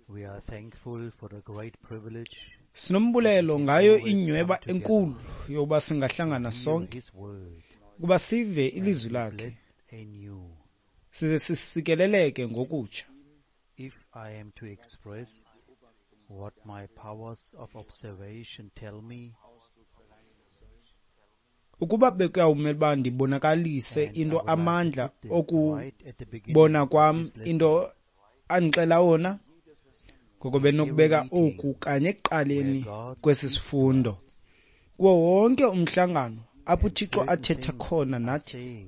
We are thankful for the great privilege Sinombulelo ngayo inyweba enkulu yokuba singahlangana to hear sonke His word, ukuba sive ilizwi lakhe blessed anew. size sisikeleleke ngokutsha. If I am to express what my powers of observation tell me, Ukuba bekuyawumele uba ndibonakalise and I into would like to amandla put this right at the beginning okubona of kwam this lesson, into andixela wona, ngoko benokubeka oku kanye ekuqaleni kwesi sifundo. Kuwo wonke umhlangano apho uThixo certain athetha things khona are nathi,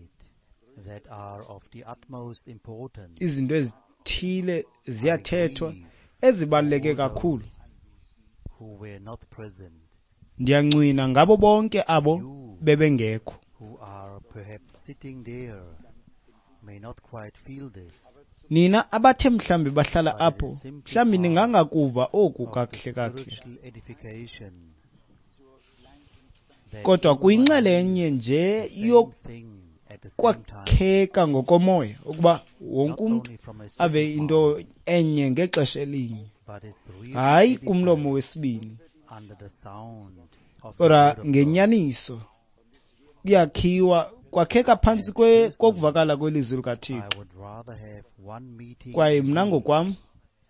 said that are of the utmost importance. izinto ezithile ziyathethwa grieve ezibaluleke all kakhulu. those who were not present, Ndiyancwina ngabo bonke abo You bebengekho. who are perhaps sitting there may not quite feel this, Nina abathe mhlambi bahlala but it apho, is simply mhlambi part ningangakuva oku of the kakuhle kakuhle. spiritual edification that Kodwa everyone kuyinxalenye hears nje the same thing at the same time, yokwakheka ngokomoya ukuba wonke not umntu only from a ave second into mouth, enye ngexesha elinye, but is really hayi kumlomo edified wesibini. under the sound of the Kodwa word of God. ngenyaniso kuyakhiwa kwakheka phantsi And personally, kokuvakala kwelizwi I likaThixo. would rather have one meeting Kwaye a mna week ngokwam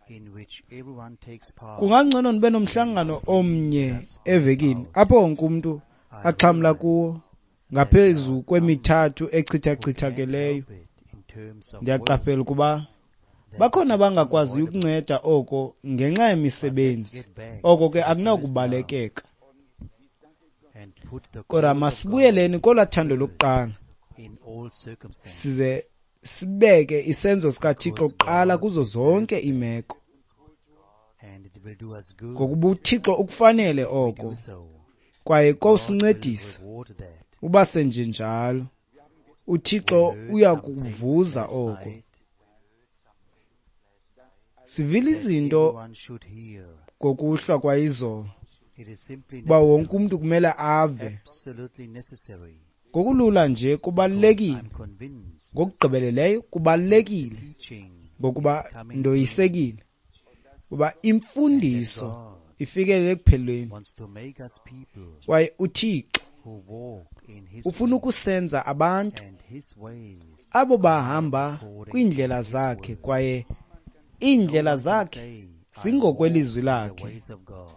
in which everyone takes part kungangcono ndibe than nomhlangano three omnye just spread evekini out. apho wonke umntu I axhamla realize kuwo that there ngaphezu are some kwemithathu who can't echithachithakeleyo. help it in terms of work, Ndiyaqaphela ukuba that it bakhona is abangakwaziyo unavoidable. ukunceda oko ngenxa But let's yemisebenzi. get back Oko ke to the first love akunakubalekeka. and put the Kodwa cause of God masibuyeleni kolwaa thando first lokuqala in all circumstances, size sibeke isenzo sikaThixo because kuqala God kuzo deserves zonke that, iimeko, and it will do us good ngokuba uThixo ukufanele if we do oko so. kwaye God will kowusincedisa reward that. uba senjenjalo. We uThixo heard uya some things kuvuza last oko. night Sivile that izinto everyone should hear. ngokuhlwa kwayizolo It is simply uba wonke necessary, umntu kumele ave. absolutely necessary, Ngokulula nje because kubalulekile, I'm convinced ngokugqibeleleyo that the kubalulekile, teaching is ngokuba coming to an end ndoyisekile uba and that imfundiso God ifikelele ekuphelweni. wants to make us people Kwaye uThixo who walk in His ufuna ways, ukusenza abantu and His ways abo are bahamba according to kwiindlela His zakhe word. kwaye No iindlela one can zakhe say, I walk zingokwelizwi in the lakhe. ways of God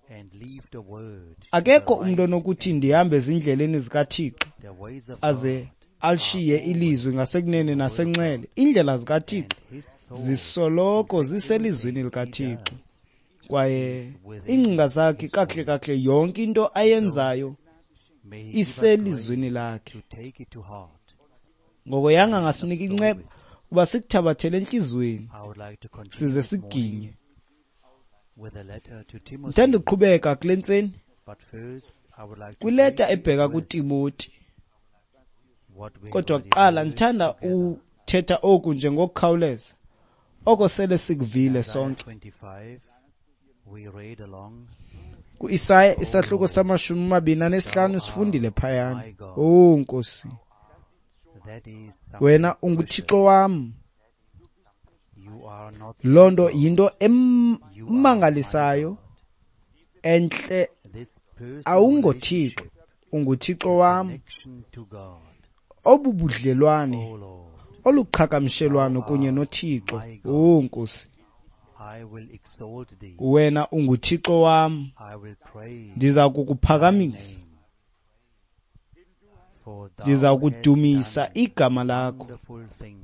and leave the word to the Akekho umntu right onokuthi and ndihambe ezindleleni zikaThixo the ways of aze God are alishiye always ilizwi ngasekunene in the word of nasenxele. God, Iindlela and zikaThixo His thoughts, in zisoloko fact, ziselizwini everything He likaThixo does kwaye is within iingcinga zakhe His kakuhle word. kakuhle yonke into So ayenzayo may He give us iselizwini grace lakhe. to take it to heart Ngoko yanga and ngasinika absorb inceba it. uba sikuthabathele entliziyweni I would like to continue size this morning sikuginye. with a letter to Ndithanda Timothy, ukuqhubeka kule ntseni but first I would like to kwileta briefly ebheka address kuTimoti. what we have Kodwa already kuqala heard ndithanda together. uthetha oku nje ngokukhawuleza oko sele sikuvile Isaiah sonke. 25, we read along, KuIsaya O isahluko Lord, sama-25 thou sifundile art phayana. my God. Oh Nkosi, That is wena something unguThixo precious. wam. You are not Loo a nto God, yinto you are my emangalisayo God. entle. This personal AwungoThixo, relationship, unguThixo the wam. connection to God, Obu budlelwane O Lord, oluqhagamshelwano thou kunye art noThixo. my God. Oh Nkosi, I will exalt thee. wena unguThixo wam. I will praise Ndiza thy kukuphakamisa, name, for thou ndiza hast kudumisa done igama lakho, wonderful things.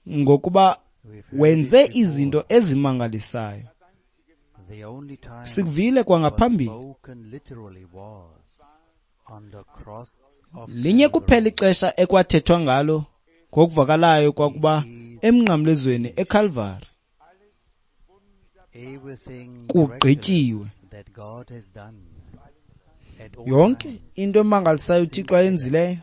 ngokuba We've heard it wenze before. izinto ezimangalisayo. The only time Sikuvile it was kwangaphambili. spoken literally was on the cross of Linye kuphela Calvary. ixesha ekwathethwa ngalo ngokuvakalayo kwakuba It is emnqamlezweni finished. eKalvari. Everything Kugqityiwe. miraculous that God has done at all Yonke times into emangalisayo uThixo since Adam ayenzileyo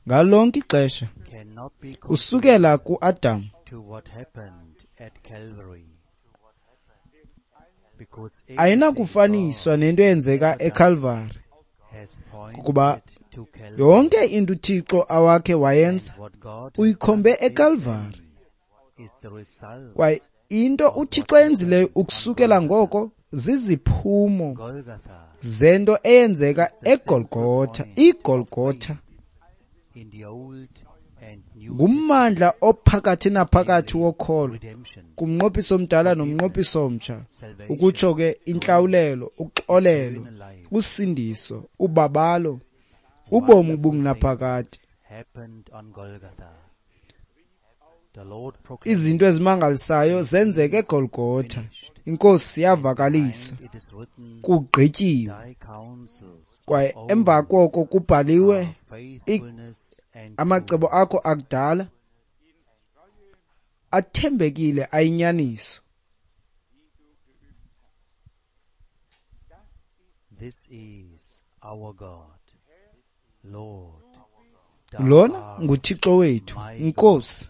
ngalo lonke ixesha cannot be compared usukela kuAdam to what happened at Calvary. Because everything ayinakufaniswa God nento has eyenzeka ever done eKalvari, has kukuba pointed to Calvary. yonke into uThixo awakhe wayenza And what God has uyikhombe done since eKalvari. then is the result Kwaye Into uThixo ayenzileyo ukusukela ngoko ziziphumo zento eyenzeka eGolgotha. IGolgotha ngummandla ophakathi naphakathi wokholo kumnqophiso omdala nomnqophiso omtsha, ukutsho ke intlawulelo, uxolelo, usindiso, ubabalo, ubomi obungunaphakade. Izinto ezimangalisayo zenzeka eGolgotha. Inkosi yavakalisa, kugqityiwe. Kwaye emva koko kubhaliwe, amacebo akho akudala athembekile ayinyaniso. Lona nguThixo wethu, Nkosi,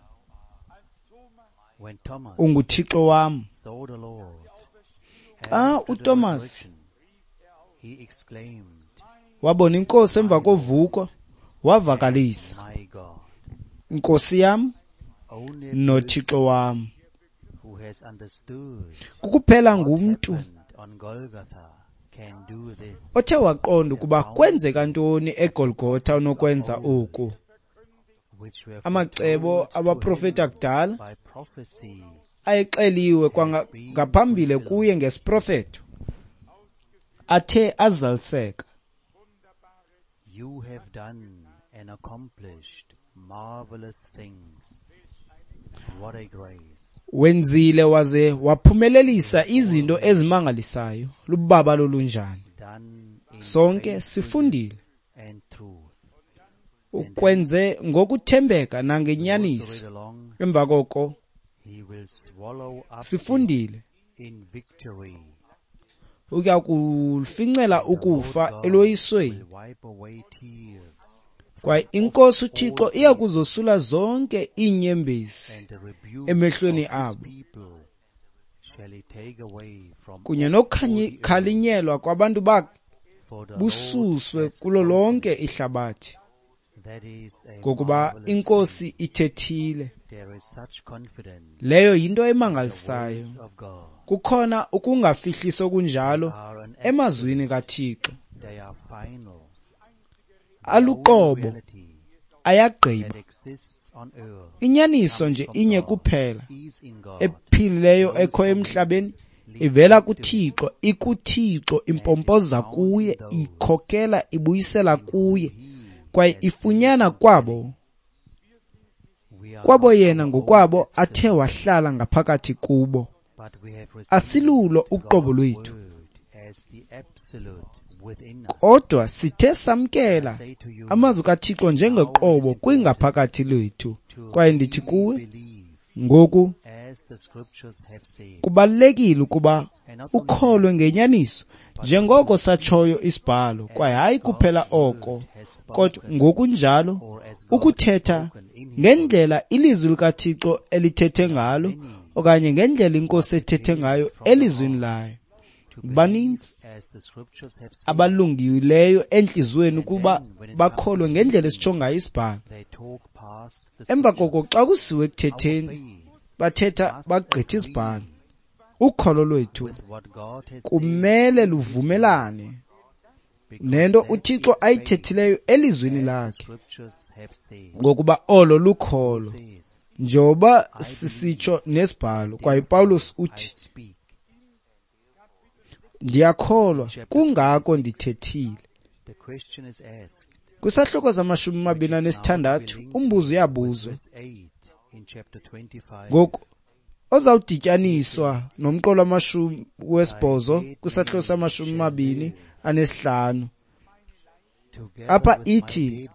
unguThixo wam. Xa uTomas wabona iNkosi emva kovuko, wavakalisa, Nkosi yam noThixo wam. Kukuphela ngumntu othe waqonda ukuba kwenzeka ntoni eGolgotha onokwenza oku. Amacebo abaprofeti akudala ayexeliwe kwangaphambili kuye ngesiprofeto athe azaliseka. You have done and accomplished marvelous things. What a grace. Wenzile waze waphumelelisa izinto ezimangalisayo. Lubabalo olunjani. Sonke sifundile. Ukwenze ngokuthembeka nangenyaniso. Emva koko sifundile ukuya kufincela ukufa eloyisweni. Kwaye iNkosi uThixo iya kuzosula zonke iinyembezi emehlweni abo, kunye nokukhalinyelwa kwabantu bakhe bususwe kulo lonke ihlabathi, ngokuba iNkosi ithethile. Leyo yinto emangalisayo. Kukhona ukungafihlisi okunjalo emazwini kaThixo. Aluqobo, ayagqiba. Inyaniso nje inye kuphela ephilileyo ekho emhlabeni ivela kuThixo, ikuThixo, impompoza kuye, ikhokela, ibuyisela kuye, kwaye ifunyana kwabo yena ngokwabo athe wahlala ngaphakathi kubo. Asilulo uqobo lwethu, kodwa sithe samkela amazwi kaThixo njengoqobo kwingaphakathi lwethu. Kwaye ndithi kuwe ngoku, kubalulekile ukuba ukholwe ngenyaniso njengoko satshoyo isibhalo, kwaye hayi kuphela oko, kodwa ngokunjalo ukuthetha ngendlela ilizwi likaThixo elithethe ngalo, okanye ngendlela iNkosi ethethe ngayo elizwini layo. Baninzi abalungileyo entliziyweni ukuba bakholwe ngendlela esitsho ngayo isibhalo. Emva koko xa kusiwe ekuthetheni, bathetha bagqitha isibhalo. Ukholo lwethu kumele luvumelane nento uThixo ayithethileyo elizwini lakhe, ngokuba olo lukholo, njengoba sisitsho nesibhalo. Kwaye Paulus uthi, ndiyakholwa, kungako ndithethile. Kwisahluko sama-26 umbuzo uyabuzwa ngoku ozawudityaniswa nomqolo wama-8 kwisahluko sama-25. Apha ithi,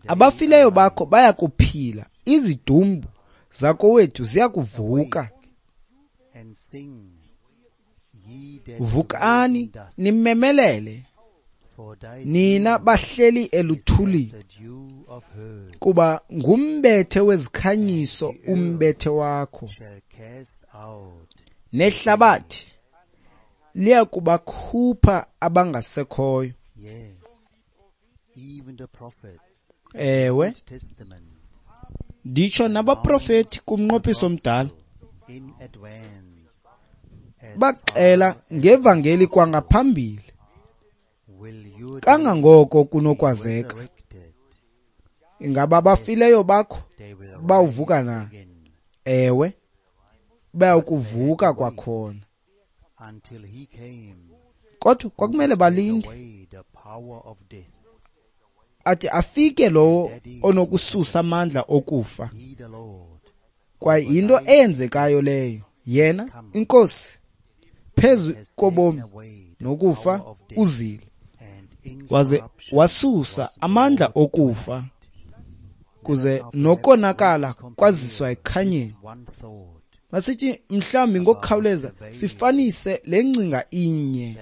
abafileyo bakho bayakuphila, izidumbu zakowethu ziyakuvuka. Vukani nimemelele, nina bahleli eluthulini, kuba ngumbethe wezikhanyiso umbethe wakho, nehlabathi liyakubakhupha abangasekhoyo. Ewe, nditsho nabaprofeti kumnqophiso omdala Baxela ngevangeli kwangaphambili kangangoko kunokwazeka. Ingaba abafileyo bakho bawuvuka na? Ewe, bayakuvuka kwakhona. Kodwa kwakumele balinde athi afike lowo onokususa amandla okufa. Kwaye yinto eyenzekayo leyo. Yena, iNkosi, phezu kobomi nokufa uzile, waze wasusa amandla okufa, kuze nokonakala kwaziswa ekukhanyeni. Masithi mhlawumbi ngokukhawuleza sifanise le ngcinga inye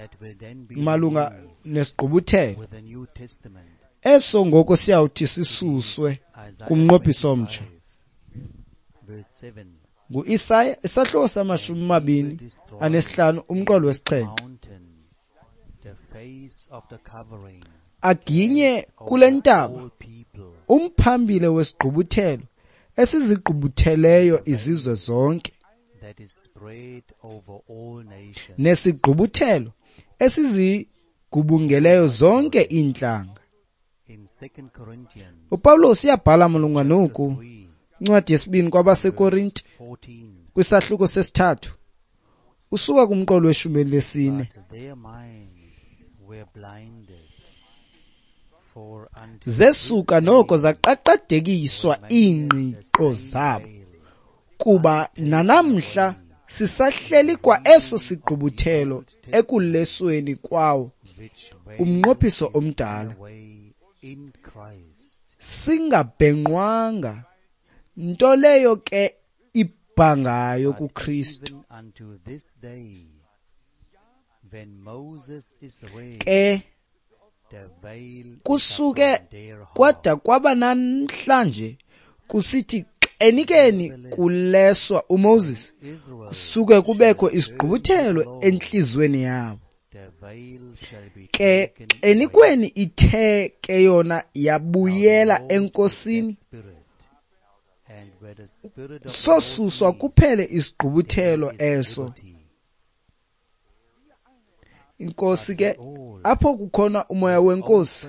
malunga nesigqubuthelo eso ngoko siyawuthi sisuswe kumnqophiso omtsha. NguIsaya isahluko sama-25 umqolo wesi-7. Aginye kule ntaba umphambili wesigqubuthelo esizigqubutheleyo izizwe zonke, nesigqubuthelo esizigubungeleyo zonke iintlanga. UPawulos uyabhala malunga noku incwadi yesibini kwabaseKorinte kwisahluko sesithathu usuka kumqolo weshumi elinesine. Zesuka noko zaqaqadekiswa iingqiqo zabo, kuba nanamhla sisahleli kwa eso sigqubuthelo ekulesweni kwawo umnqophiso omdala, singabhenqwanga, nto leyo ke ibhangayo kuKristu. Ke kusuke kwada kwaba namhlanje kusithi xenikeni kuleswa uMoses, kusuke kubekho isigqubuthelo entliziyweni yabo. Ke xenikweni ithe ke yona yabuyela eNkosini, sosuswa kuphele isigqubuthelo eso. Inkosi ke apho kukhona umoya wenkosi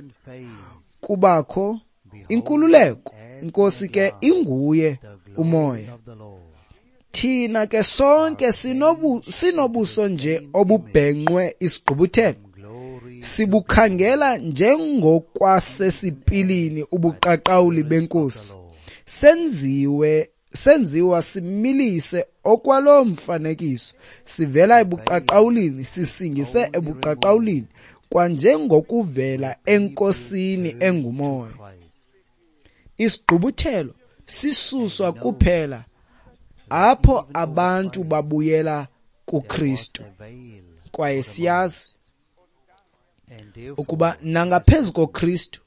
kubakho inkululeko. Inkosi ke inguye umoya. Thina ke sonke sinobuso nje obubhenqwe isigqubuthelo, sibukhangela njengokwasesipilini ubuqaqawuli benkosi, senziwa similise okwalo mfanekiso, sivela ebuqaqawulini sisingise ebuqaqawulini, kwanjengokuvela enkosini engumoya. Isigqubuthelo sisuswa kuphela apho abantu babuyela kuKristu. Kwaye siyazi ukuba nangaphezu koKristu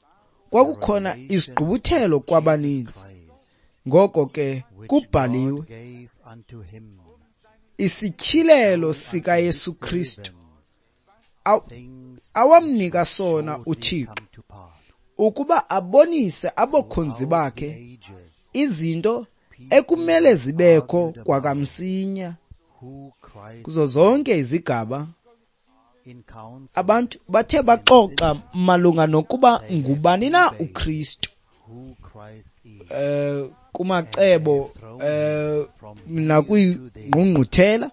kwakukhona isigqubuthelo kwabaninzi. Ngoko ke kubhaliwe, isityhilelo sikaYesu Kristu awamnika sona uThixo ukuba abonise abakhonzi bakhe izinto ekumele zibekho kwakamsinya. Kuzo zonke izigaba abantu bathe baxoxa malunga nokuba ngubani na uKristu, kumacebo, nakwingqungquthela,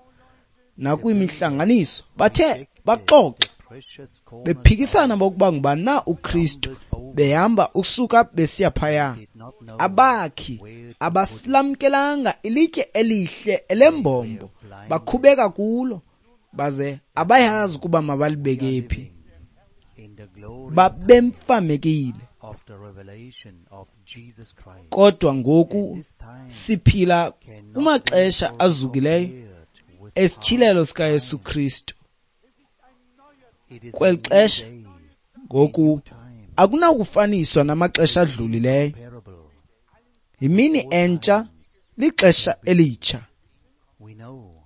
nakwimihlanganiso, bathe baxoxa bephikisana bokuba ngubani na uKristu, behamba usuka besiya phaya. Abakhi abasilamkelanga ilitye elihle elembombo, bakhubeka kulo, baze abayazi ukuba mabalibeke phi. Babemfamekile. Kodwa ngoku siphila kumaxesha azukileyo esityhilelo sikaYesu Kristu. Kweli xesha ngoku akunakufaniswa namaxesha adlulileyo. Yimini entsha, lixesha elitsha.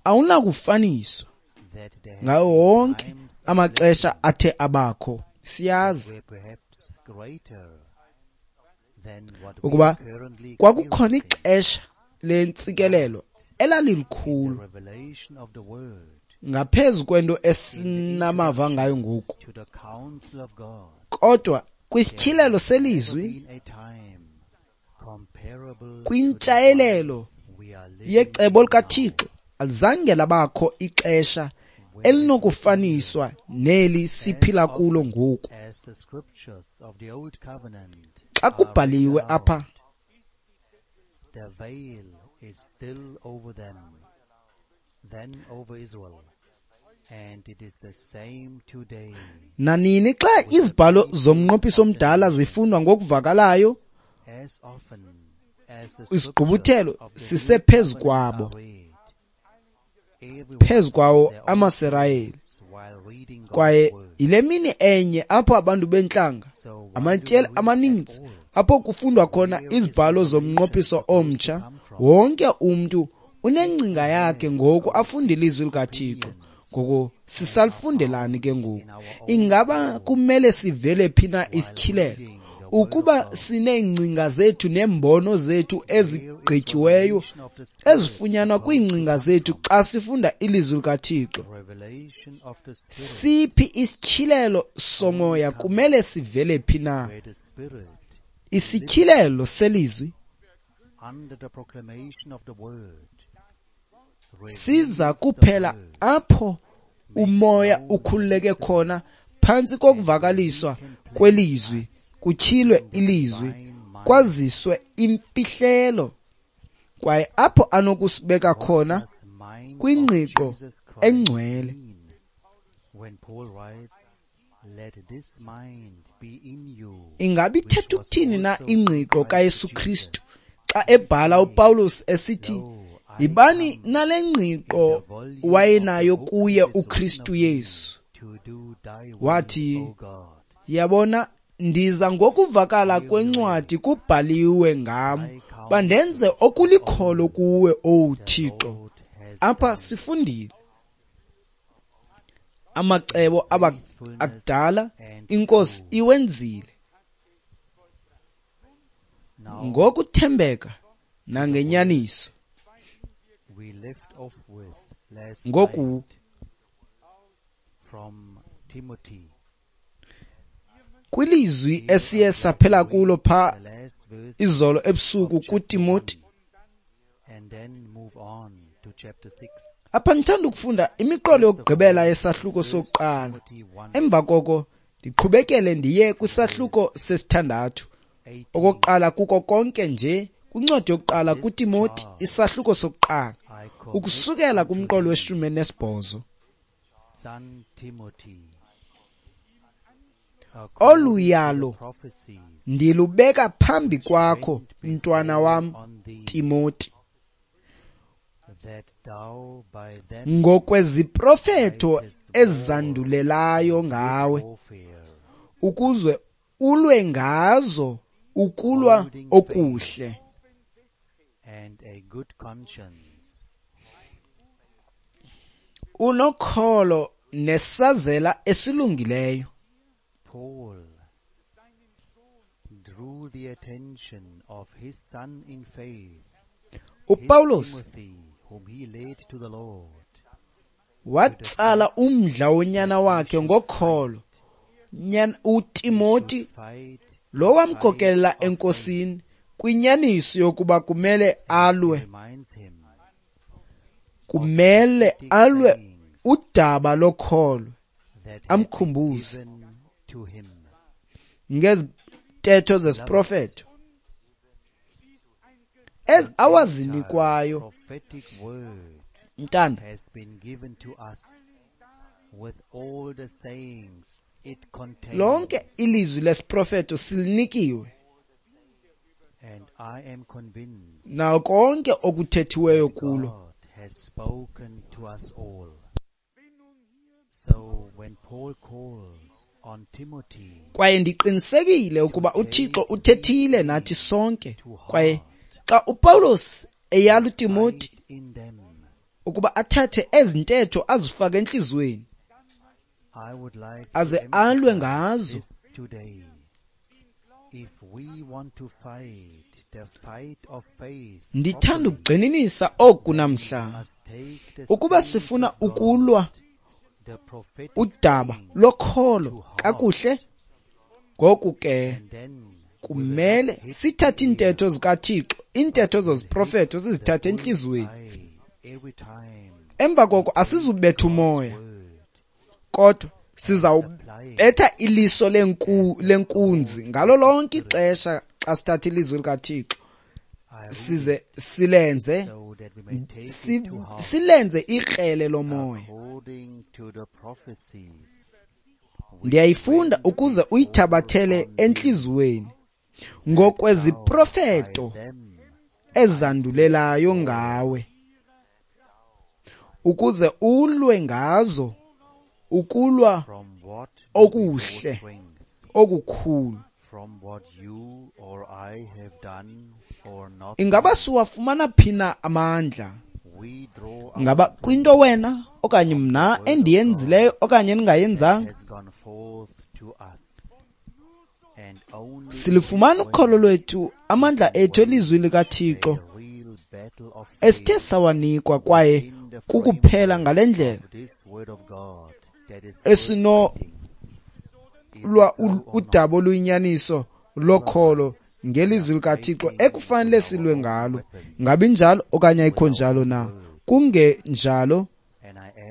Awunakufaniswa ngawo wonke amaxesha athe abakho. Siyazi ukuba kwakukhona ixesha lentsikelelo elalilikhulu ngaphezu kwento esinamava ngayo ngoku. Kodwa kwisityhilelo selizwi, kwintshayelelo yecebo likaThixo, alizange labakho ixesha elinokufaniswa neli siphila kulo ngoku. Xa kubhaliwe apha, nanini xa izibhalo zomnqophiso omdala zifundwa ngokuvakalayo, isigqubuthelo sisephezu kwabo, phezu kwawo amaSirayeli. Kwaye yile mini enye apho abantu bentlanga, amatyeli amaninzi, apho kufundwa khona izibhalo zomnqophiso omtsha, wonke umntu unengcinga yakhe ngoku afunda ilizwi likaThixo. Ngoku sisalifundelani ke ngoku? Ingaba kumele sivele phi na isityhilelo? Ukuba sineengcinga zethu neembono zethu ezigqityiweyo ezifunyanwa kwiingcinga zethu xa sifunda ilizwi likaThixo, siphi isityhilelo somoya kumele sivele phi na? Isityhilelo selizwi siza kuphela apho umoya ukhululeke khona phantsi kokuvakaliswa kwelizwi, kutyhilwe ilizwi, kwaziswe imfihlelo, kwaye apho anokusibeka khona kwingqiqo engcwele. Ingaba ithetha ukuthini na ingqiqo kaYesu Kristu xa ebhala uPawulos esithi, yibani nale ngqiqo wayenayo kuye uKristu Yesu? Wathi, yabona, ndiza ngokuvakala kwencwadi kubhaliwe ngam, bandenze okulikholo kuwe, Owu Thixo. Apha sifundile amacebo akudala iNkosi iwenzile ngokuthembeka nangenyaniso. Ngoku kwilizwi esiye saphela kulo pha izolo ebusuku kuTimoti, apha ndithanda ukufunda imiqolo yokugqibela yesahluko sokuqala. Emva koko ndiqhubekele ndiye kwisahluko sesithandathu. Okokuqala kuko konke nje kwincwadi yokuqala kuTimoti, isahluko sokuqala, ukusukela kumqolo we-18. Olu yalo ndilubeka phambi kwakho, mntwana wam Timoti, ngokweziprofetho ezandulelayo ngawe, ukuze ulwe ngazo ukulwa okuhle, unokholo nesazela esilungileyo. Paul drew the attention of his son in faith, uPawulos Timothy, whom he led to the Lord, watsala umdla wonyana wakhe ngokholo, uTimoti fight lo wamkhokelela eNkosini kwinyaniso yokuba kumele alwe, reminds him kumele alwe udaba lokholo, that had been amkhumbuze given to him. ngezintetho zesiprofetho ez awazinikwayo. Prophetic word Mntanda, has been given to us with all the sayings it contains. lonke ilizwi lesiprofetho silinikiwe And I am convinced nawo konke okuthethiweyo kulo. God has spoken to us all. So when Paul calls on Timothy Kwaye ndiqinisekile ukuba uThixo uthethile nathi sonke. Kwaye xa uPawulos eyala uTimoti fight in them, ukuba athathe ezi ntetho azifake entliziyweni I would like to aze alwe emphasize ngazo, this today. Ndithanda ukugxininisa oku namhla. Ukuba sifuna ukulwa udaba lokholo kakuhle, ngoku ke kumele sithathe iintetho zikaThixo, iintetho zeziprofeto sizithathe entliziyweni. Emva koko asizubetha umoya, kodwa sizawubetha iliso lenkunzi ngalo lonke ixesha xa sithatha ilizwi likaThixo size silenze silenze ikrele lomoya. Ndiyayifunda ukuze uyithabathele entliziyweni ngokweziprofeto ezandulelayo ngawe, ukuze ulwe ngazo ukulwa okuhle okukhulu. Ingaba siwafumana phi na amandla? Ngaba kwinto wena okanye mna endiyenzileyo okanye endingayenzanga? Silifumana ukholo lwethu, amandla ethu elizwini likaThixo esithe sawanikwa, kwaye kukuphela ngale ndlela esinolwa udaba oluyinyaniso lokholo ngelizwi likaThixo ekufanele silwe ngalo. Ngabe injalo okanye ayikho njalo na? Kungenjalo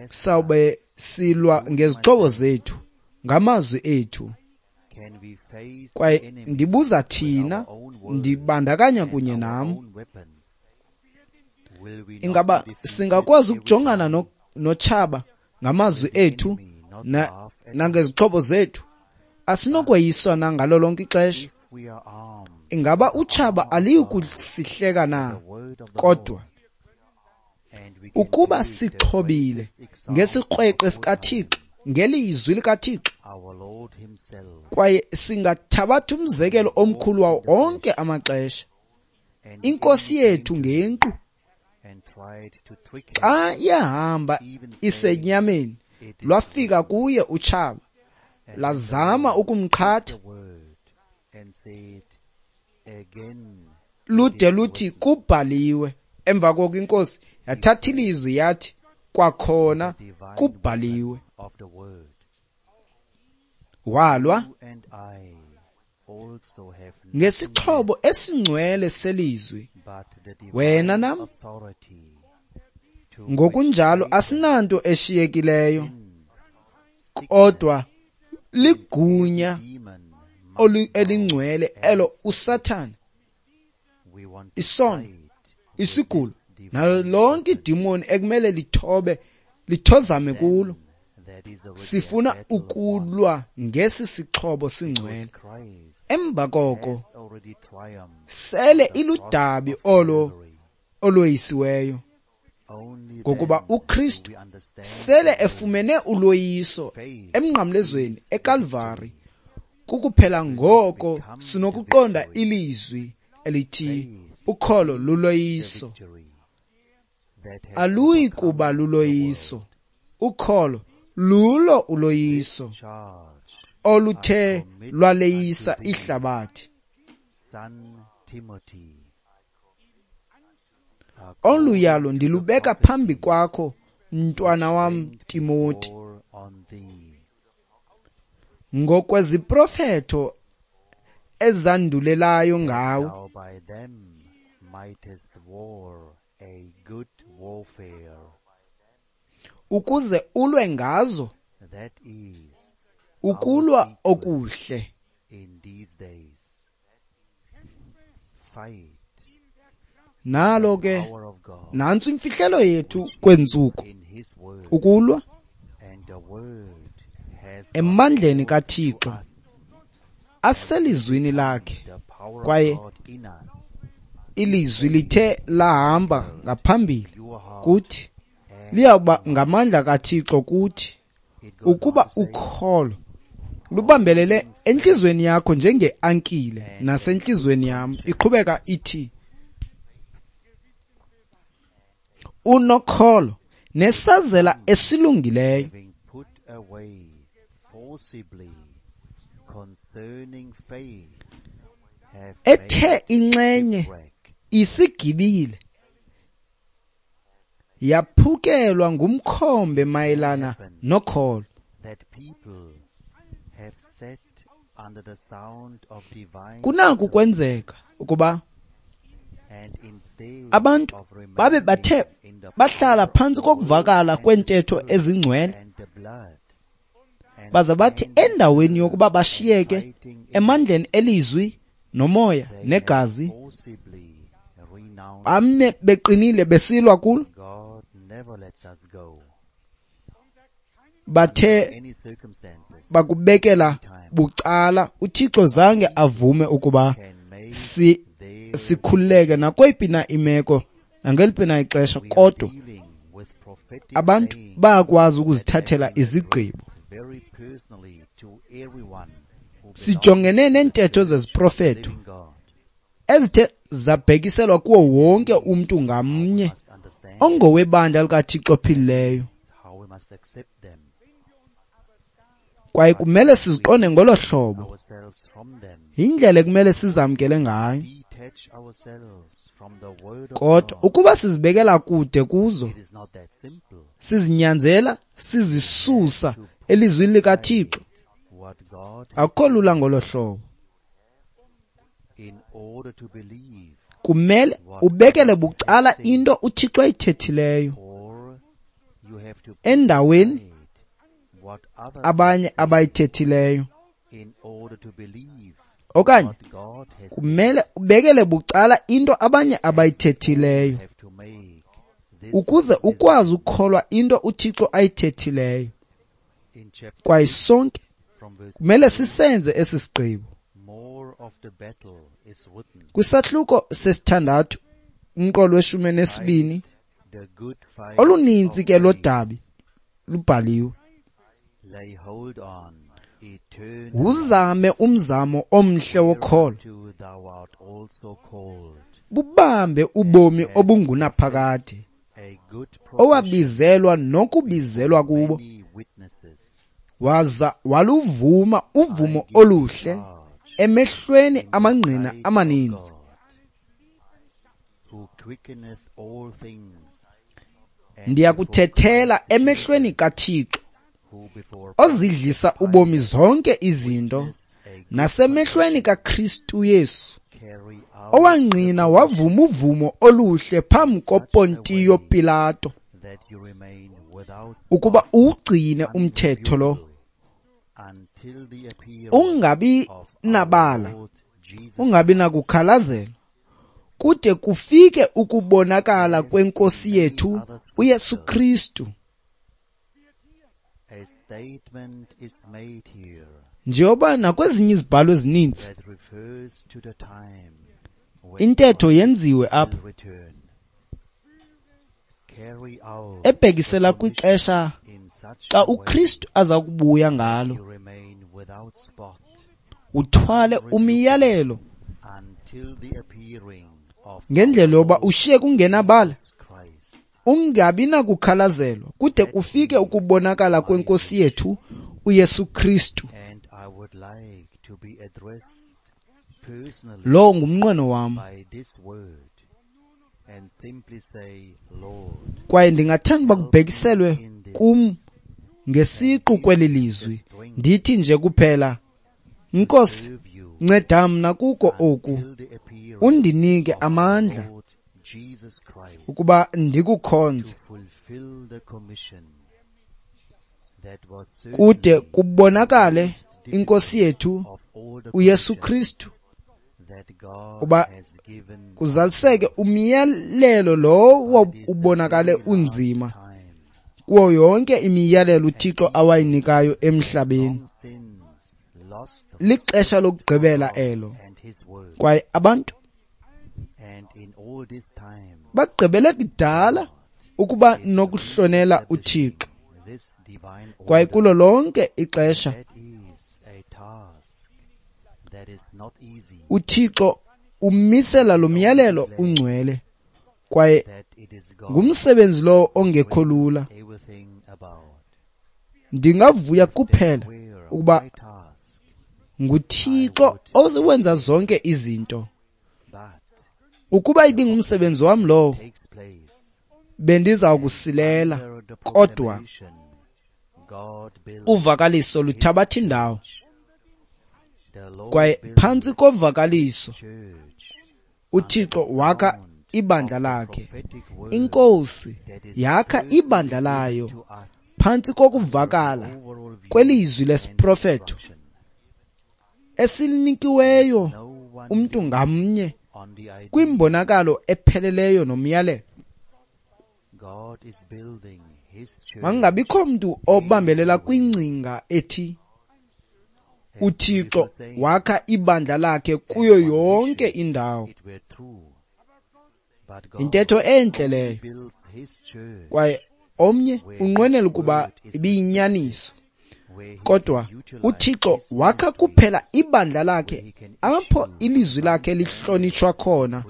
sawube silwa ngezixhobo zethu, ngamazwi ethu. Kwaye ndibuza thina, ndibandakanya kunye nam, ingaba singakwazi ukujongana notshaba ngamazwi ethu nangezixhobo zethu? Asinokweyiswa na ngalo lonke ixesha? Ingaba utshaba aliyi kusihleka na? Kodwa ukuba sixhobile ngesikrweqe sikaThixo, ngelizwi likaThixo, kwaye singathabatha umzekelo omkhulu wawo onke amaxesha, iNkosi yethu ngenkqu, xa yahamba isenyameni, lwafika kuye utshaba, lazama ukumqhatha, lude luthi kubhaliwe. Emva koko iNkosi yathatha ilizwi yathi kwakhona kubhaliwe. Walwa ngesixhobo esingcwele selizwi. Wena nam ngokunjalo asinanto eshiyekileyo kodwa ligunya elingcwele elo uSathana, isono, isigulo nalo lonke idimoni ekumele lithobe lithozame kulo. Sifuna ukulwa ngesi sixhobo singcwele. Emva koko sele iludabi olo oloyisiweyo, ngokuba uKristu sele efumene uloyiso emnqamlezweni eKalvari. Kukuphela ngoko sinokuqonda ilizwi elithi ukholo luloyiso. Aluyi kuba luloyiso, ukholo lulo uloyiso oluthe lwaleyisa ihlabathi. Olu yalo ndilubeka phambi kwakho, mntwana wam Timoti, ngokweziprofeto ezandulelayo ngawe, ukuze ulwe ngazo ukulwa okuhle. Nalo ke nantso imfihlelo yethu kwentsuku, ukulwa emandleni kaThixo aselizwini lakhe, kwaye ilizwi lithe lahamba ngaphambili kuthi, liyawuba ngamandla kaThixo kuthi. Ukuba ukholo lubambelele entliziyweni yakho njengeankile nasentliziyweni yam, iqhubeka ithi unokholo nesazela esilungileyo. ethe inxenye isigibile yaphukelwa ngumkhombe mayelana nokholo. Kunaku kwenzeka ukuba abantu babe bathe bahlala phantsi kokuvakala kweentetho ezingcwele, baza bathi endaweni yokuba bashiyeke emandleni elizwi nomoya negazi, bame beqinile besilwa kulo, bathe bakubekela bucala. UThixo zange avume ukuba sikhululeke nakweyiphi na imeko nangeliphi na ixesha, kodwa abantu bayakwazi ukuzithathela izigqibo. Sijongene neentetho zeziprofeto ezithe zabhekiselwa kuwo wonke umntu ngamnye ongowebandla likaThixo ophilileyo, kwaye kumele siziqonde ngolo hlobo. Yindlela ekumele sizamkele ngayo. Kodwa ukuba sizibekela kude kuzo, sizinyanzela, sizisusa elizwini likaThixo, akukho lula ngolo hlobo. Kumele ubekele bucala into uThixo ayithethileyo endaweni abanye abayithethileyo, okanye kumele ubekele bucala into abanye abayithethileyo ukuze ukwazi ukukholwa into uThixo ayithethileyo. Kwaye sonke kumele sisenze esi sigqibo. Kwisahluko sesithandathu umqolo we-12, oluninzi ke lodabi lubhaliwe. Wuzame umzamo omhle wokholo, bubambe ubomi obungunaphakade owabizelwa nokubizelwa kubo, waza waluvuma uvumo oluhle emehlweni amangqina amaninzi. Ndiyakuthethela emehlweni kaThixo ozidlisa ubomi zonke izinto, nasemehlweni kaKristu Yesu owangqina wavuma uvumo oluhle phambi koPontiyo Pilato, ukuba uwugcine umthetho lo, ungabi nabala, ungabi nakukhalazelwa, kude kufike ukubonakala kweNkosi yethu uYesu Kristu. Njengoba nakwezinye izibhalo ezininzi intetho yenziwe apha ebhekisela kwixesha xa uKristu aza kubuya ngalo, uthwale umyalelo ngendlela yoba ushiye kungenabala, ungabi nakukhalazelwa kude kufike ukubonakala kweNkosi yethu uYesu Kristu. Lo ngumnqweno wam, kwaye ndingathanda uba kubhekiselwe kum ngesiqu kweli lizwi. Ndithi nje kuphela, Nkosi, nceda mna kuko oku, undinike amandla ukuba ndikukhonze kude kubonakale iNkosi yethu uYesu Kristu, uba kuzaliseke umyalelo lowo ubonakale unzima kuwo yonke imiyalelo uThixo awayinikayo emhlabeni. Lixesha lokugqibela elo, kwaye abantu bagqibele kudala ukuba nokuhlonela uThixo, kwaye kulo lonke ixesha uThixo umisela lo myalelo ungcwele, kwaye ngumsebenzi lowo ongekho lula. Ndingavuya kuphela ukuba nguThixo owenza zonke izinto. Ukuba ibingumsebenzi wam lowo, bendiza kusilela, kodwa uvakaliso luthabatha indawo. Kwaye phantsi kovakaliso uThixo wakha ibandla lakhe. INkosi yakha ibandla layo phantsi kokuvakala kwelizwi lesiprofeto esilinikiweyo umntu ngamnye kwimbonakalo epheleleyo nomyalelo. Makungabikho mntu obambelela kwingcinga ethi uThixo wakha ibandla lakhe kuyo yonke indawo. Intetho entle leyo, kwaye omnye unqwenela ukuba ibiyinyaniso, kodwa uThixo wakha kuphela ibandla lakhe apho ilizwi lakhe lihlonitshwa khona,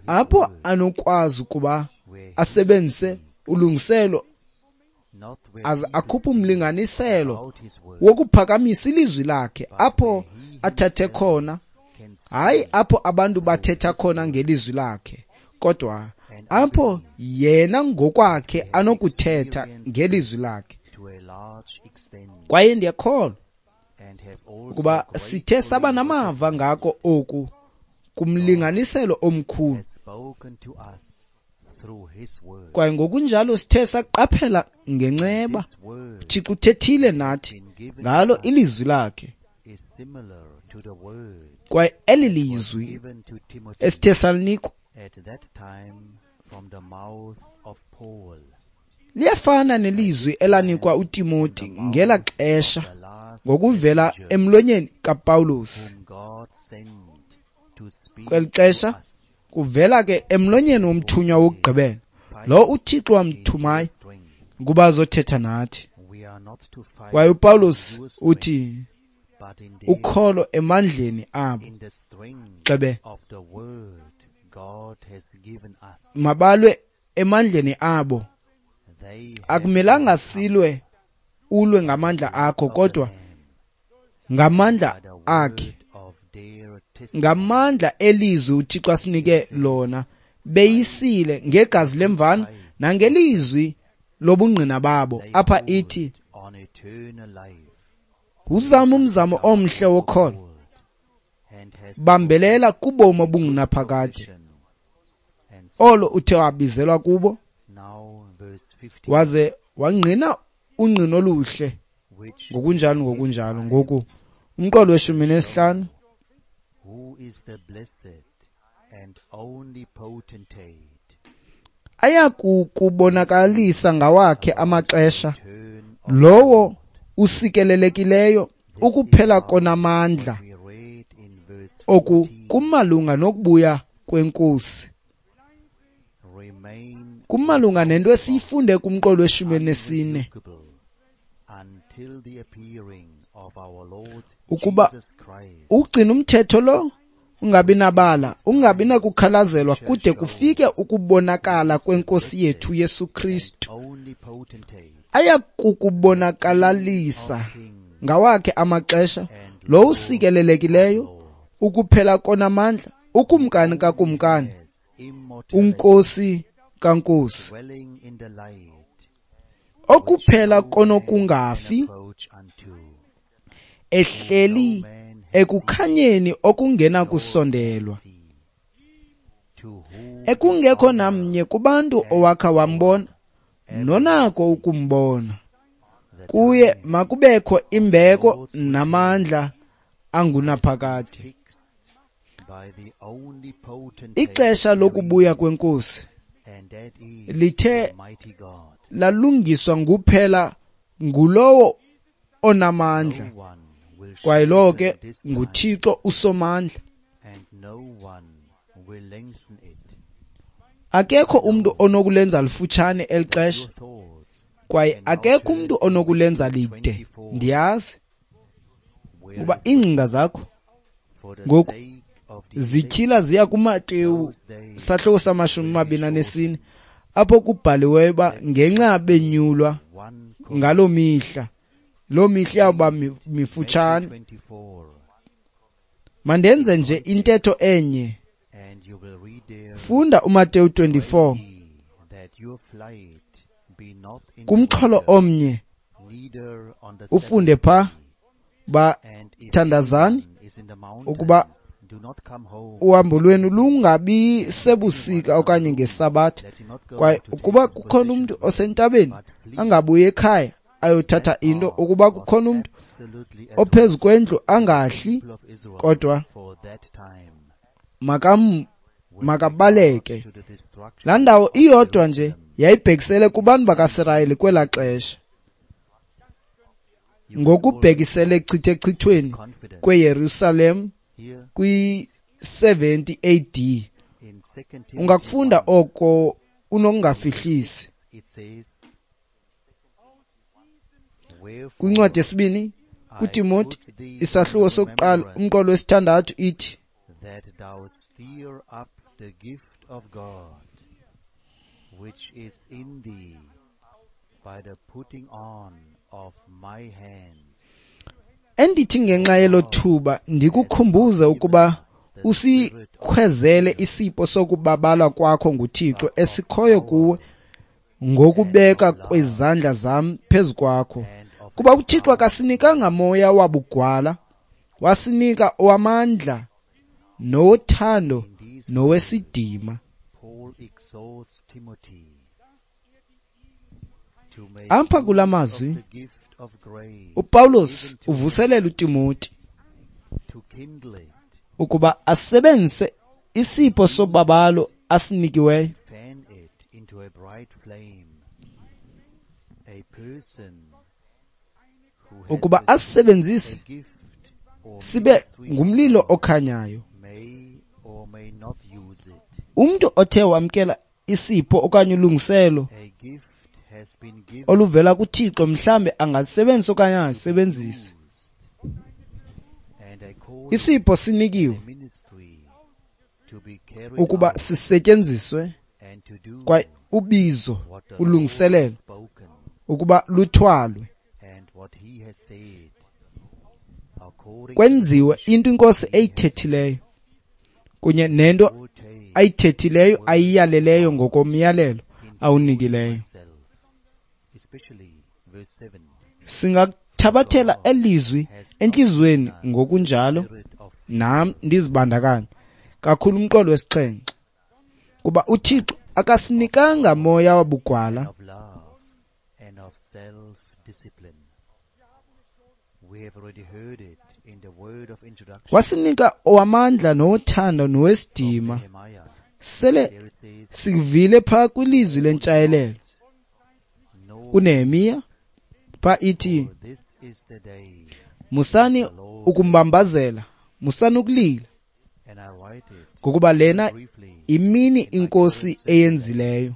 apho anokwazi ukuba asebenzise ulungiselo aze akhuphe umlinganiselo wokuphakamisa ilizwi lakhe apho athathe khona, hayi apho abantu bathetha khona ngelizwi lakhe, kodwa apho yena ngokwakhe anokuthetha ngelizwi lakhe. Kwaye ndiyakholwa ukuba sithe saba namava ngako oku kumlinganiselo omkhulu, kwaye ngokunjalo sithe saqaphela ngenceba uThixo uthethile nathi ngalo ilizwi lakhe. Kwaye eli lizwi esithe salinikwa liyafana nelizwi elanikwa uTimoti ngela xesha ngokuvela emlonyeni kaPawulos. Kweli xesha kuvela ke emlonyeni womthunywa wokugqibela, lo uThixo wamthumayo ukuba azothetha nathi. Kwaye uPawulos uthi ukholo emandleni abo, xebe mabalwe emandleni abo. Akumelanga silwe ulwe ngamandla akho, kodwa ngamandla akhe, ngamandla elizwi uThixo asinike lona. Beyisile ngegazi lemvana nangelizwi lobungqina babo. Apha ithi uzama umzamo omhle wokholo, bambelela kubomi obungunaphakade olo uthe wabizelwa kubo, waze wangqina ungqino oluhle ngokunjalo ngokunjalo. Ngoku umqolo we-15, ayakukubonakalisa ngawakhe amaxesha lowo usikelelekileyo ukuphela konamandla. Oku kumalunga nokubuya kweNkosi, kumalunga nento esiyifunde kumqolo we-14, ukuba ugcina umthetho lo ungabi nabala, ungabi nakukhalazelwa kude kufike ukubonakala kweNkosi yethu Yesu Kristu. Ayakukubonakalisa ngawakhe amaxesha lo usikelelekileyo ukuphela konamandla, ukumkani kakumkani, unkosi kankosi, okuphela konokungafi, ehleli ekukhanyeni okungena kusondelwa, ekungekho namnye kubantu owakha wambona nonako ukumbona. Kuye makubekho imbeko namandla angunaphakade. Ixesha lokubuya kweNkosi lithe lalungiswa nguphela ngulowo onamandla, kwaye lowo ke nguThixo uSomandla. Akekho umntu onokulenza lifutshane eli xesha, kwaye akekho umntu onokulenza lide. Ndiyazi kuba iingcinga zakho ngoku zityhila ziya kuMateyu sahluko sama-24, apho kubhaliweyo uba ngenxa benyulwa ngaloo mihla, loo mihla iyawuba mifutshane. Mandenze nje intetho enye. Funda uMateyu 24 kumxholo omnye, ufunde pha ba thandazani ukuba uhambo lwenu lungabi sebusika okanye ngesabatha, kwaye ukuba kukhona umntu osentabeni angabuyi ekhaya ayothatha into, ukuba kukhona umntu ophezu kwendlu angahli, kodwa makabaleke. Laa ndawo iyodwa nje yayibhekisele kubantu bakaSirayeli kwelaa xesha, ngokubhekisele echithechithweni kweYerusalem kwi-70 AD. Ungakufunda oko unokungafihlisi. Kwincwadi yesibini kuTimoti isahluko sokuqala umqolo wesithandathu ithi, that thou stir up the gift of God, which is in thee, by the putting on of my hands. Endithi ngenxa yelo thuba ndikukhumbuze ukuba usikhwezele isipho sokubabalwa kwakho nguThixo esikhoyo kuwe ngokubeka kwezandla zam phezu kwakho. Kuba uThixo akasinikanga moya wabugwala, wasinika owamandla nowothando nowesidima. Apha kula mazwi uPawulos uvuselela uTimoti ukuba asebenzise isipho sobabalo asinikiweyo ukuba asisebenzise sibe ngumlilo okhanyayo. Umntu othe wamkela isipho okanye ulungiselo oluvela kuThixo mhlambe angasebenzisa okanye angasebenzisi. Isipho sinikiwe ukuba sisetyenziswe kwaye ubizo ulungiselelo ukuba luthwalwe, kwenziwe into iNkosi eyithethileyo kunye nento ayithethileyo ayiyaleleyo ngokomyalelo awunikileyo. Singakuthabathela elizwi entliziyweni ngokunjalo nam ndizibandakanye kakhulu umqolo wesixhenxe, kuba uThixo akasinikanga moya wabugwala, wasinika owamandla nowothando nowesidima. Sele sivile pha kwilizwi lentshayelelo kuNehemiya pha ithi, musani ukumbambazela, musani ukulila, ngokuba lena imini iNkosi eyenzileyo.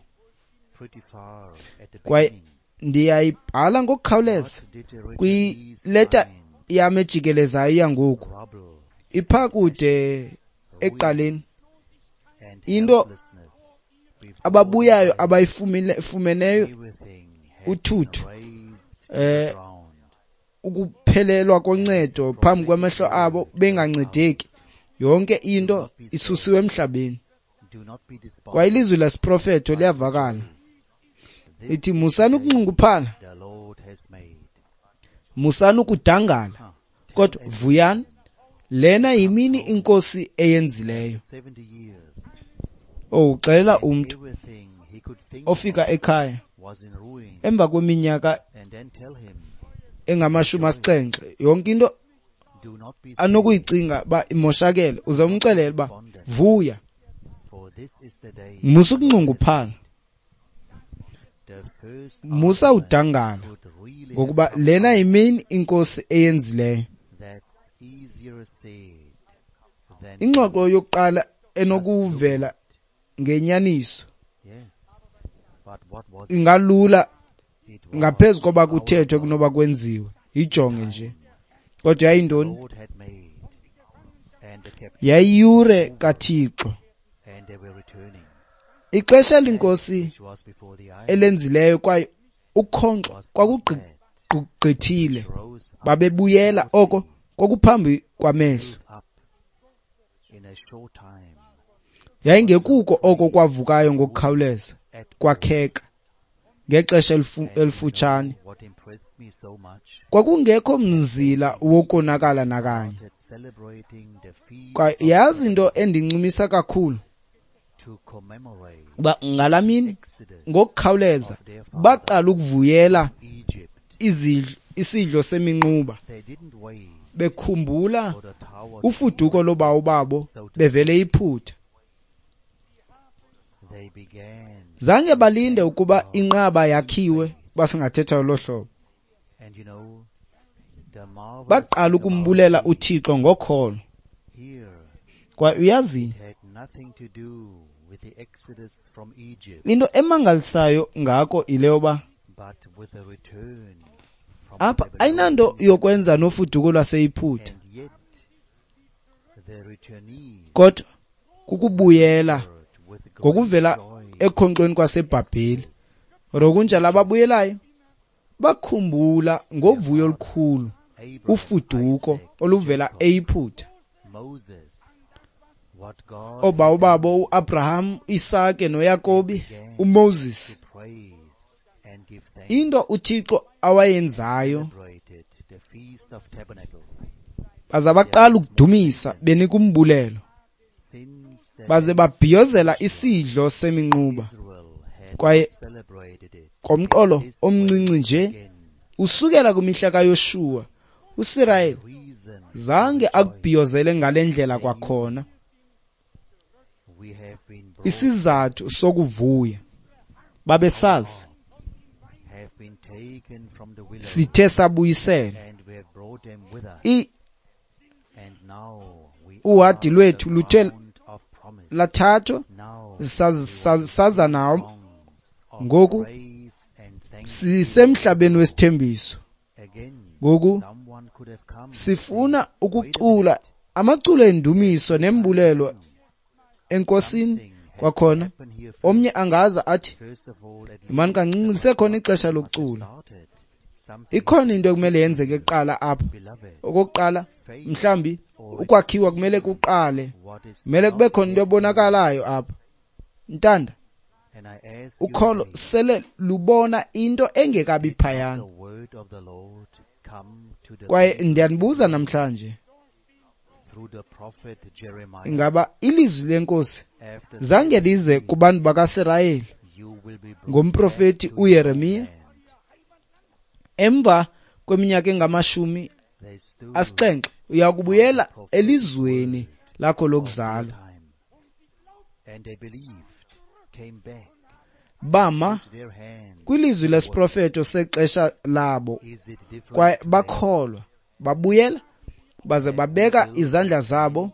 Kwaye ndiyayibhala ngokukhawuleza kwileta yam ejikelezayo yangoku, ipha kude ekuqaleni, into ababuyayo abayifumeneyo uthuthu, ukuphelelwa koncedo phambi kwamehlo abo bengancedeki, yonke into isusiwe emhlabeni. Kwaye ilizwi lesiprofeto liyavakala ithi, musani ukunxunguphala, musani ukudangala, kodwa vuyani, lena yimini iNkosi eyenzileyo. Uxelela umntu ofika ekhaya emva kweminyaka engama-70, yonke into anokuyicinga uba imoshakele, uze umxelele uba vuya, musa ukunxunguphala, musa udangala, ngokuba lena yimini iNkosi eyenzileyo. Ingxoxo yokuqala enokuvela ngenyaniso ingalula ngaphezu koba kuthethwe kunoba kwenziwe. Ijonge nje. Kodwa yayintoni? Yayiyure kaThixo. Ixesha lenkosi elenzileyo kwaye ukhonkxo kwakugqithile. Babebuyela oko kwakuphambi kwamehlo. Yayingekuko oko kwavukayo ngokukhawuleza kwakheka ngexesha elifutshane. Kwakungekho mzila wokonakala nakanye. Kwaye yazi into endincumisa kakhulu, uba ngalaa mini ngokukhawuleza baqala ukuvuyela isidlo seminquba, bekhumbula ufuduko loobawo babo bevele eYiputa. Zange balinde ukuba inqaba yakhiwe, basingathetha ngolo hlobo. Baqala ukumbulela uThixo ngokholo. Kwaye uyazi, into emangalisayo ngako yile yoba apha ayinanto yokwenza nofuduko lwaseYiputa, kodwa kukubuyela ngokuvela ekhonkxweni kwaseBhabheli. Kodwa kunjalo ababuyelayo bakhumbula ngovuyo olukhulu ufuduko oluvela eYiputa. Oobawo babo uAbraham, Isake noYakobi, uMoses, into uThixo awayenzayo, baza baqala ukudumisa benika umbulelo, baze babhiyozela isidlo seminquba. Kwaye ngomqolo omncinci nje usukela kwimihla kaYoshuwa, uSirayeli zange akubhiyozele ngale ndlela kwakhona. Isizathu sokuvuya, babesazi sithe sabuyiselwa. Uhadi lwethu luthe lathathwa saza nawo. Ngoku sisemhlabeni wesithembiso. Ngoku sifuna ukucula amaculo endumiso nembulelo eNkosini. Kwakhona omnye angaza athi, mani kancinci, lisekhona ixesha lokucula. Ikhona into ekumele yenzeke kuqala apha. Okokuqala, mhlambi ukwakhiwa kumele kuqale, kumele kube khona into ebonakalayo apha. Ntanda, ukholo sele lubona into engekabi phayana. Kwaye ndiyanibuza namhlanje, ingaba ilizwi leNkosi zange lize kubantu bakaSirayeli ngomprofeti uYeremiya emva kweminyaka engama-70 uya kubuyela elizweni lakho lokuzalwa? Bama kwilizwi lesiprofeto sexesha labo kwaye bakholwa, babuyela baze babeka izandla zabo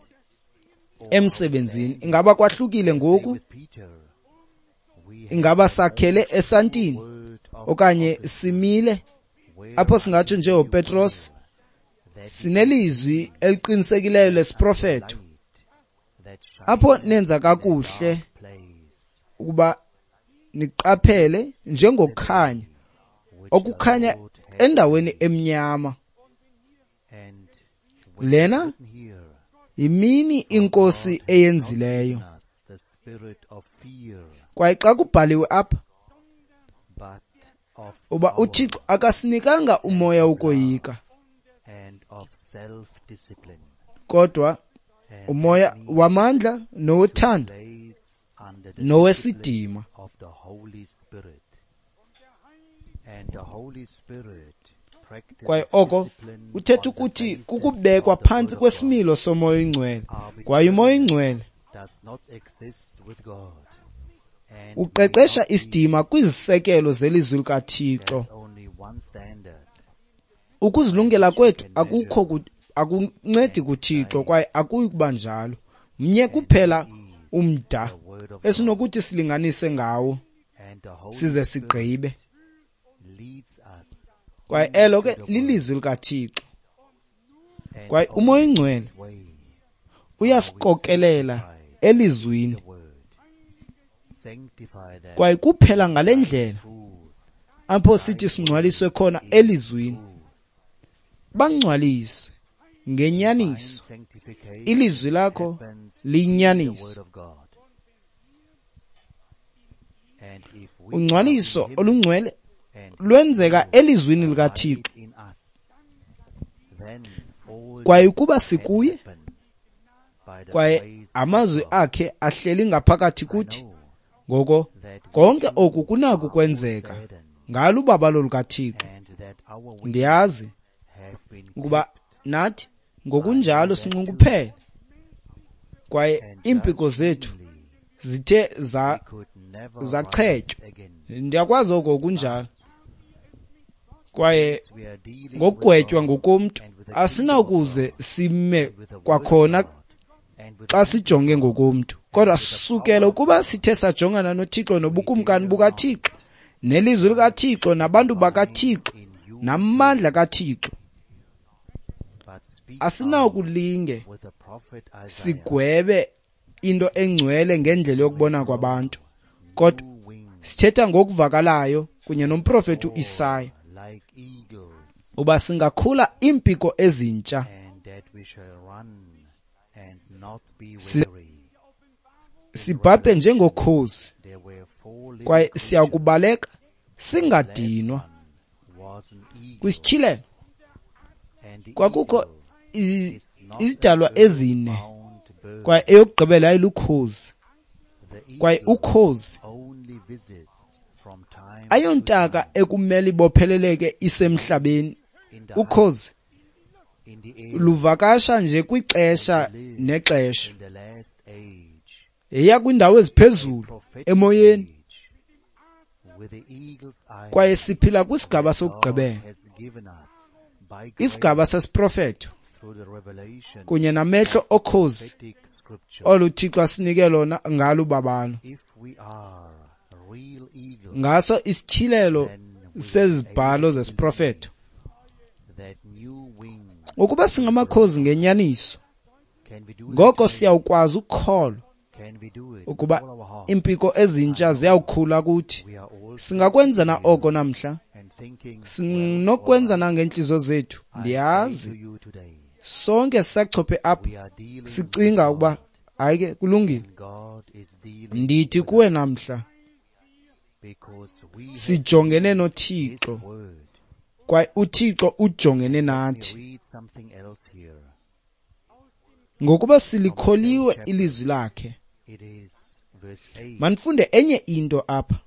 emsebenzini. Ingaba kwahlukile ngoku? Ingaba sakhele esantini okanye simile apho singatsho njengoPetros, sinelizwi eliqinisekileyo lesiprofeto apho nenza kakuhle ukuba niqaphele njengokukhanya okukhanya endaweni emnyama. Lena yimini iNkosi eyenzileyo. Kwaye xa kubhaliwe apha uba uThixo akasinikanga umoya wokoyika, kodwa umoya wamandla nowothando nowesidima. Kwaye oko kuthetha ukuthi kukubekwa phantsi kwesimilo somoya oyingcwele. Kwaye umoya oyingcwele uqeqesha isidima kwizisekelo zelizwi likaThixo. Ukuzilungela kwethu akukho akuncedi kuThixo, kwaye akuyi kuba njalo. Mnye kuphela umda esinokuthi silinganise ngawo size sigqibe, kwaye elo ke lilizwi likaThixo. Kwaye umoya oyingcwele uyasikokelela elizwini, kwaye kuphela ngale ndlela apho sithi singcwaliswe khona elizwini. Bangcwalise Ngenyaniso, ilizwi lakho liyinyaniso. Ungcwaliso olungcwele lwenzeka elizwini likaThixo. Kwaye ukuba sikuye, kwaye amazwi akhe ahleli ngaphakathi kuthi, ngoko konke oku kunako ukwenzeka ngalo ubabalo lukaThixo. Ndiyazi ukuba nathi ngokunjalo sinxunguphele, kwaye iimpiko zethu zithe zachetywa. Ndiyakwazi oko kunjalo. Kwaye ngokugwetywa ngokomntu asinawukuze sime kwakhona xa sijonge ngokomntu, kodwa sukela ukuba sithe sajongana noThixo nobukumkani bukaThixo nelizwi likaThixo nabantu bakaThixo namandla kaThixo, asinawukulinge sigwebe into engcwele ngendlela yokubona kwabantu, kodwa sithetha ngokuvakalayo kunye nomprofeti uIsaya uba singakhula iimpiko ezintsha, sibhabhe njengokhozi, kwaye siyakubaleka singadinwa. Kwisityhilelo kwakukho izidalwa ezine, kwaye eyokugqibela yayilukhozi, kwaye ukhozi ayontaka ekumele ibopheleleke isemhlabeni. Ukhozi luvakasha nje kwixesha nexesha, eya kwindawo eziphezulu emoyeni, kwaye siphila kwisigaba sokugqibela, isigaba sesiprofeto kunye namehlo okhozi olu Thixo asinike lona ngalo ubabalo. Ngaso isityhilelo sezibhalo zesiprofeto, ukuba singamakhozi ngenyaniso, ngoko siyawukwazi ukukholwa ukuba iimpiko ezintsha ziyawukhula kuthi. Singakwenza na oko namhla? Sinokwenza na ngeentliziyo zethu? Ndiyazi sonke sisachophe apha sicinga ukuba hayi ke kulungile. Ndithi kuwe namhla, sijongene noThixo, kwaye uThixo ujongene nathi. Ngokuba silikholiwe ilizwi lakhe. Manifunde enye into apha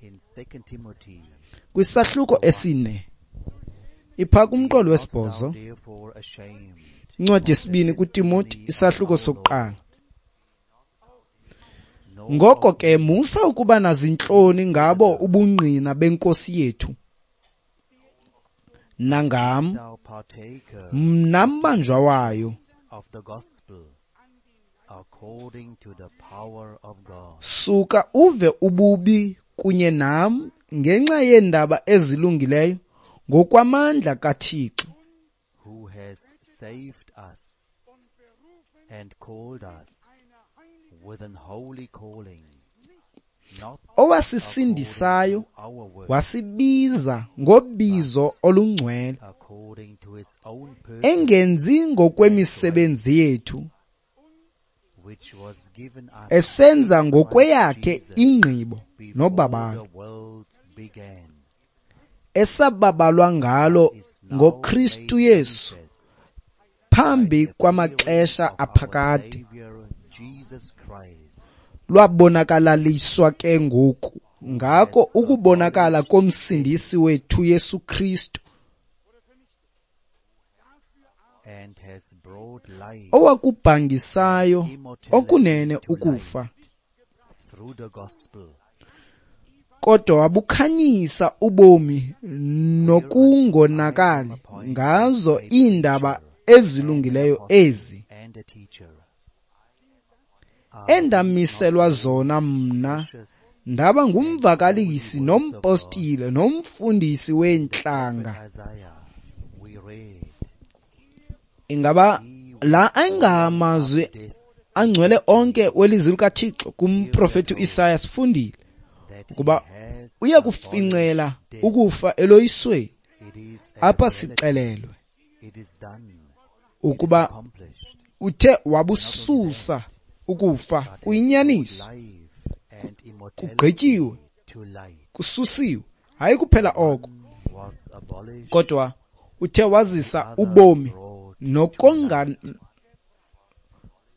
kwisahluko 4, ipha kumqolo wesibhozo, incwadi yesibini kuTimoti, isahluko 1. Ngoko ke musa ukuba nazintloni ngabo ubungqina benkosi yethu, nangam mna mbanjwa wayo. Suka uve ububi kunye nam ngenxa yeendaba ezilungileyo ngokwamandla kaThixo, owasisindisayo wasibiza ngobizo olungcwele, engenzi ngokwemisebenzi yethu, esenza ngokweyakhe ingqibo nobabalo, esababalwa ngalo ngoKristu Yesu phambi kwamaxesha aphakade. Lwabonakalaliswa ke ngoku ngako ukubonakala komsindisi wethu Yesu Kristu, owakubhangisayo okunene ukufa, kodwa wabukhanyisa ubomi nokungonakali ngazo iindaba ezilungileyo ezi, endamiselwa zona mna ndaba ngumvakalisi nompostile nomfundisi weentlanga. Ingaba la ayingamazwi angcwele onke welizwi likaThixo? Kumprofeti uIsaya sifundile ukuba uya kufincela ukufa eloyisweni. Apha sixelelwe Ukuba uthe wabususa ukufa, kuyinyaniso, kugqityiwe, kususiwe. Hayi kuphela oko, kodwa uthe wazisa ubomi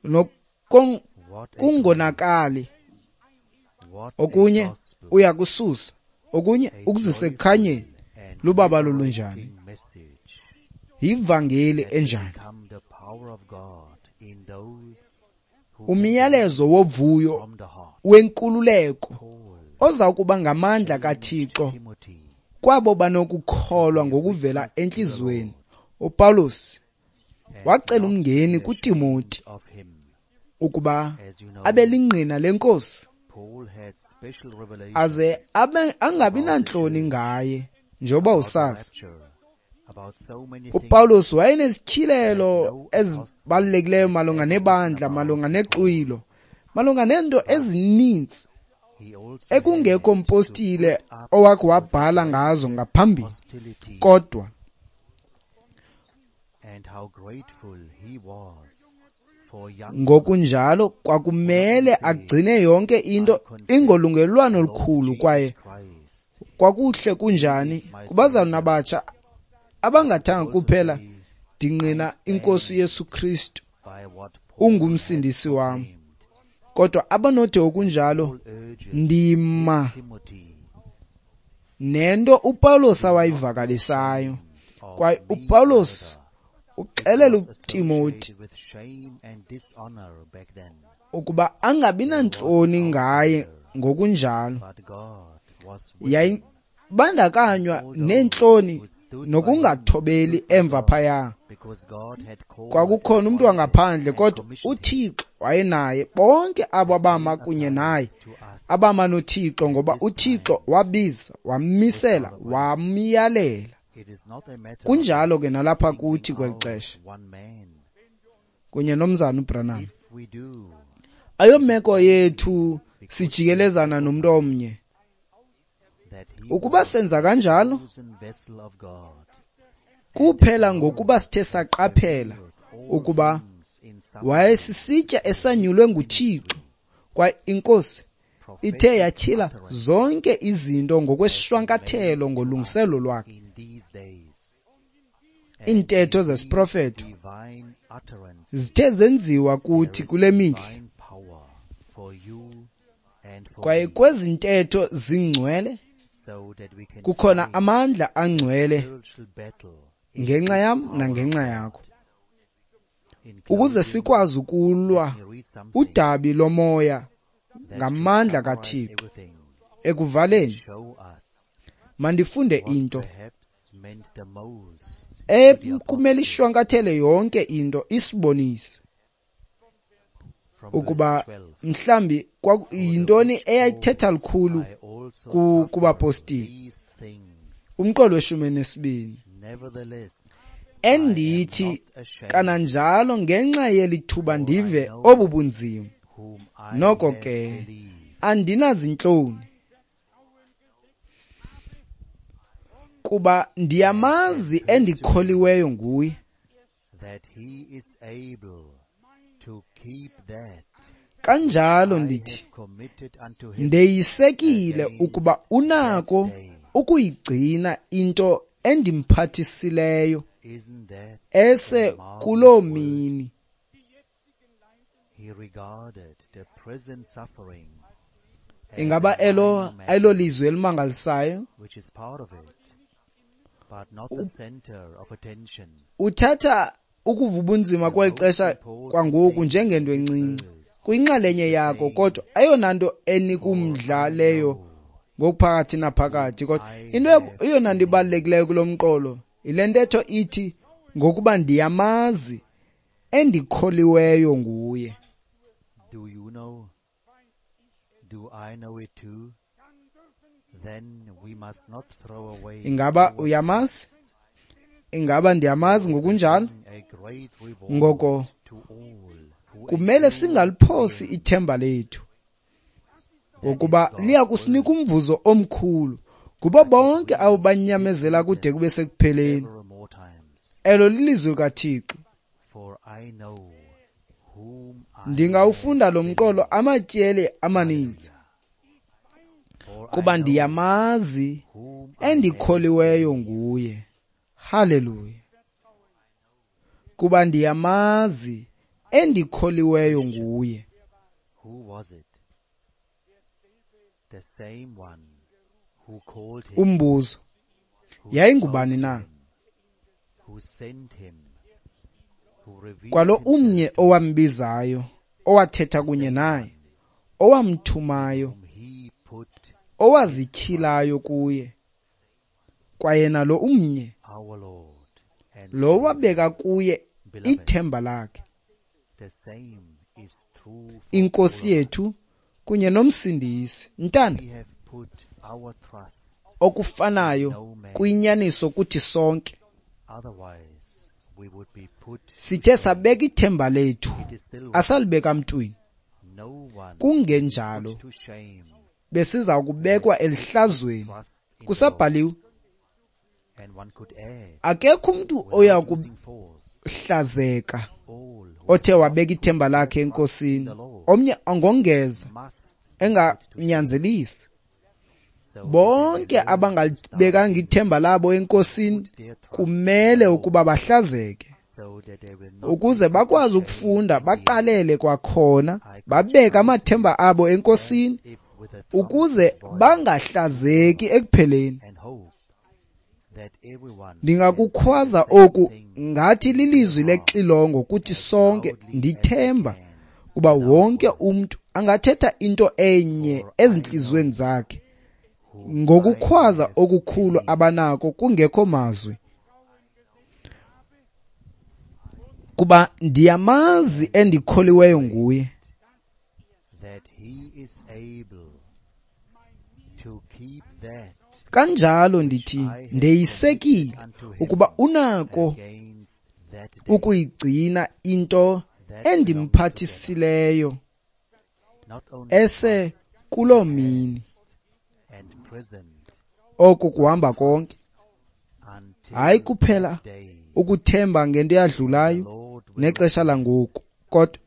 nokungonakali. Okunye uyakususa, okunye ukuzise ekukhanyeni. Lubabalo lunjani? Yivangeli enjani? Umyalezo wovuyo wenkululeko oza kuba ngamandla kaThixo kwabo banokukholwa ngokuvela entliziyweni. UPawulos wacela umngeni kuTimoti ukuba abe lingqina leNkosi, aze angabi nantloni ngaye, njengoba usazi. UPawulos wayenesityhilelo ezibalulekileyo malunga nebandla, malunga nexwilo, malunga neento ezininzi ekungekho mpostile owakhe wabhala ngazo ngaphambili. Kodwa ngokunjalo kwakumele agcine yonke into ingolungelelwano olukhulu, kwaye kwakuhle kunjani kubazalwana abatsha abangathanga kuphela ndingqina iNkosi Yesu Kristu ungumsindisi wam, kodwa abanothi okunjalo ndima nento uPawulos awayivakalisayo. Kwaye uPawulos uxelela uTimoti ukuba angabi nantloni ngaye ngokunjalo. Yayibandakanywa neentloni nokungathobeli emva phaya. Kwakukhona umntu wangaphandle, kodwa uThixo wayenaye. Bonke abo abama kunye naye, abama noThixo, ngoba uThixo wabiza, wammisela, wamyalela. Kunjalo ke nalapha kuthi kweli xesha kunye nomzana uBranham. Ayomeko yethu sijikelezana nomntu omnye. Ukuba senza kanjalo, kuphela ngokuba sithe saqaphela ukuba wayesisitya esanyulwe nguThixo, kwaye iNkosi ithe yatyhila zonke izinto ngokweshwankathelo ngolungiselo lwakhe. Iintetho zesiprofeto zithe zenziwa kuthi kule mihla, kwaye kwezi ntetho zingcwele kukhona amandla angcwele ngenxa yam nangenxa yakho, ukuze sikwazi ukulwa udabi lomoya ngamandla kaThixo. Ekuvaleni, mandifunde into ekumele ishwankathele yonke into, isibonise ukuba mhlambi yintoni eyayithetha lukhulu kubapostile. Umqolo we-12, endithi kananjalo ngenxa yelithuba ndive obu bunzima, noko ke andinazintloni, kuba ndiyamazi endikholiweyo nguye, kanjalo ndithi ndeyisekile ukuba unako ukuyigcina into endimphathisileyo ese kuloo mini. Ingaba elo ayilolizwi elimangalisayo? Uthatha ukuva ubunzima kweli xesha kwangoku njengento encinci, kuyinxalenye yakho, kodwa eyona nto enikumdla leyo ngokuphakathi naphakathi. Kodwa into eyona nto ibalulekileyo kulo mqolo yile ntetho ithi, ngokuba ndiyamazi endikholiweyo nguye. Do you know? Do I know it too? Then we must not throw away. Ingaba uyamazi? Ingaba ndiyamazi ngokunjalo? Ngoko kumele singaliphosi ithemba lethu, ngokuba liya kusinika umvuzo omkhulu kubo bonke abo banyamezela kude kube sekupheleni. Elo lilizwi likaThixo. Ndingawufunda lo mqolo amatyeli amaninzi, kuba ndiyamazi endikholiweyo nguye. Haleluya! Kuba ndiyamazi endikholiweyo nguye. Umbuzo, yayingubani na? Kwalo umnye owambizayo, owathetha kunye naye, owamthumayo, owazityhilayo kuye, kwayena lo umnye, lo wabeka kuye ithemba lakhe, iNkosi yethu kunye noMsindisi. Ntanda, okufanayo kuyinyaniso kuthi sonke. Sithe sabeka ithemba lethu, asalibeka mntwini. Kungenjalo besiza kubekwa elihlazweni. Kusabhaliwe, akekho umntu oya kuhlazeka othe wabeka ithemba lakhe eNkosini. Omnye angongeza enganyanzelisi. Bonke abangalibekanga ithemba labo eNkosini kumele ukuba bahlazeke, ukuze bakwazi ukufunda baqalele kwakhona, babeke amathemba abo eNkosini, ukuze bangahlazeki ekupheleni. Ndingakukhwaza oku ngathi lilizwi lexilongo kuthi sonke. Ndithemba kuba wonke umntu angathetha into enye ezintliziyweni zakhe ngokukhwaza okukhulu abanako kungekho mazwi. Kuba ndiyamazi endikholiweyo nguye. Kanjalo ndithi ndeyisekile ukuba unako ukuyigcina into endimphathisileyo ese kuloo mini. Oku kuhamba konke, hayi kuphela ukuthemba ngento eyadlulayo nexesha langoku, kodwa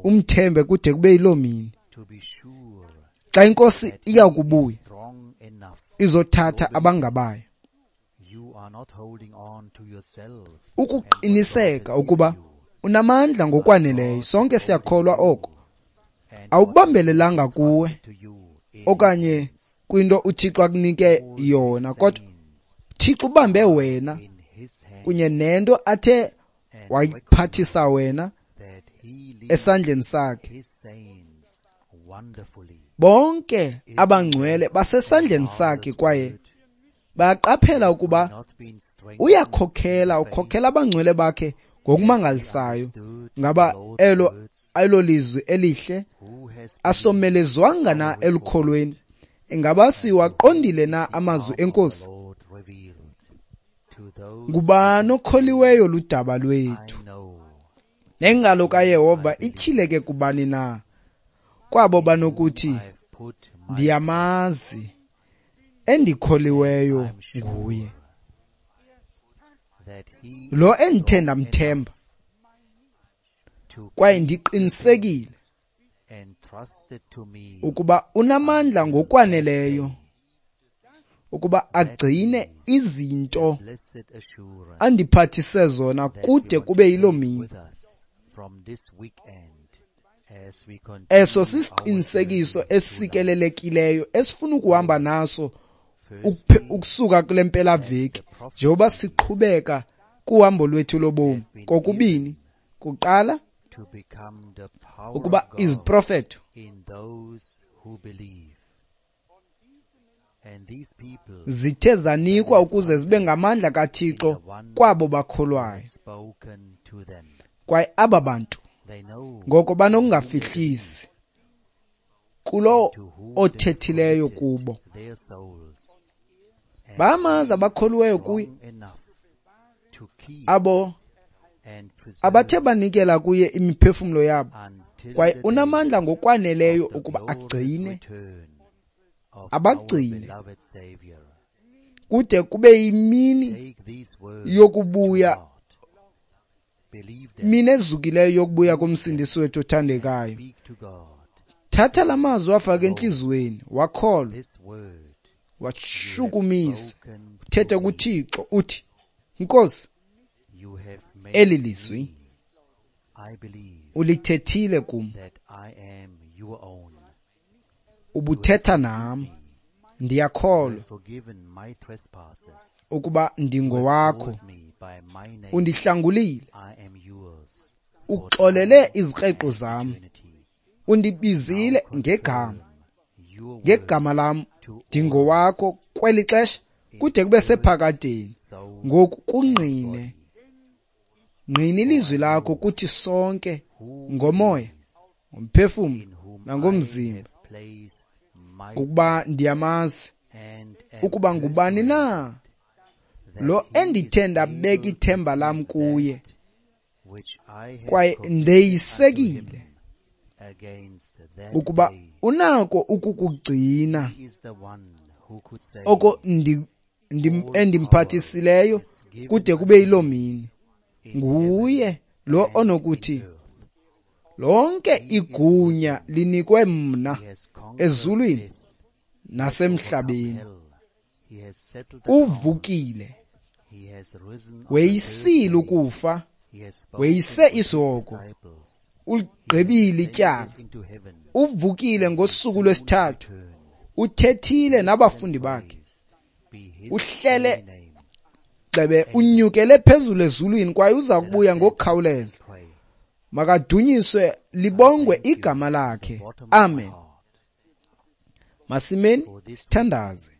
umthembe kude kube yiloo mini xa iNkosi iya kubuya izothatha abangabayo. Ukuqiniseka ukuba unamandla ngokwaneleyo, sonke siyakholwa oko. Awubambelelanga kuwe okanye kwinto uThixo akunike yona, kodwa Thixo ubambe wena kunye nento athe wayiphathisa wena esandleni sakhe. Bonke abangcwele basesandleni sakhe, kwaye bayaqaphela ukuba uyakhokhela, ukhokhela abangcwele bakhe ngokumangalisayo. Ngaba elo lizwi elihle asomelezwanga na elukholweni? Ingaba siwaqondile na amazwi eNkosi? Ngubani okholiweyo ludaba lwethu? Nengalo kaYehova ityhileke kubani na? Kwabo banokuthi, ndiyamazi endikholiweyo nguye, lo endithe ndamthemba, kwaye ndiqinisekile ukuba unamandla ngokwaneleyo ukuba agcine izinto andiphathise zona kude kube yiloo mini. Eso sisiqinisekiso esikelelekileyo esifuna ukuhamba naso ukusuka kule mpelaveki njengoba siqhubeka kuhambo lwethu lobomi. Kokubini, kuqala ukuba iziprofeto zithe zanikwa ukuze zibe ngamandla kaThixo kwabo bakholwayo, kwaye aba bantu ngoko banokungafihlisi kulo othethileyo kubo. Bayamazi abakholiweyo kuye, abo abathe banikela kuye imiphefumlo yabo, kwaye unamandla ngokwaneleyo ukuba agcine, abagcine kude kube yimini yokubuya mini ezukileyo yokubuya koMsindisi wethu othandekayo. Thatha la mazwi wafake entliziyweni, wakholwa, washukumisa, uthethe kuThixo uthi, Nkosi, eli lizwi ulithethile kum, ubuthetha nam, ndiyakholwa ukuba ndingowakho, undihlangulile, uxolele izikreqo zam, undibizile ngegama, ngegama lam ndingowakho kweli xesha kude kube sephakadeni. Ngoku kungqine, ngqina ilizwi lakho kuthi sonke ngomoya, ngomphefumlo nangomzimba, ukuba ndiyamazi ukuba ngubani na lo endithe ndabeka ithemba lam kuye, kwaye ndeyisekile ukuba unako ukukugcina oko endimphathisileyo kude kube yiloo mini. Nguye lo onokuthi, lonke igunya linikwe mna ezulwini nasemhlabeni. Uvukile, weyisile ukufa, weyise isihogo, uligqibile ityala, uvukile ngosuku lwesithathu, uthethile nabafundi bakhe, uhlele gxebe, unyukele phezulu ezulwini kwaye uza kubuya ngokukhawuleza. Makadunyiswe libongwe igama lakhe. Amen. Masimeni sithandaze.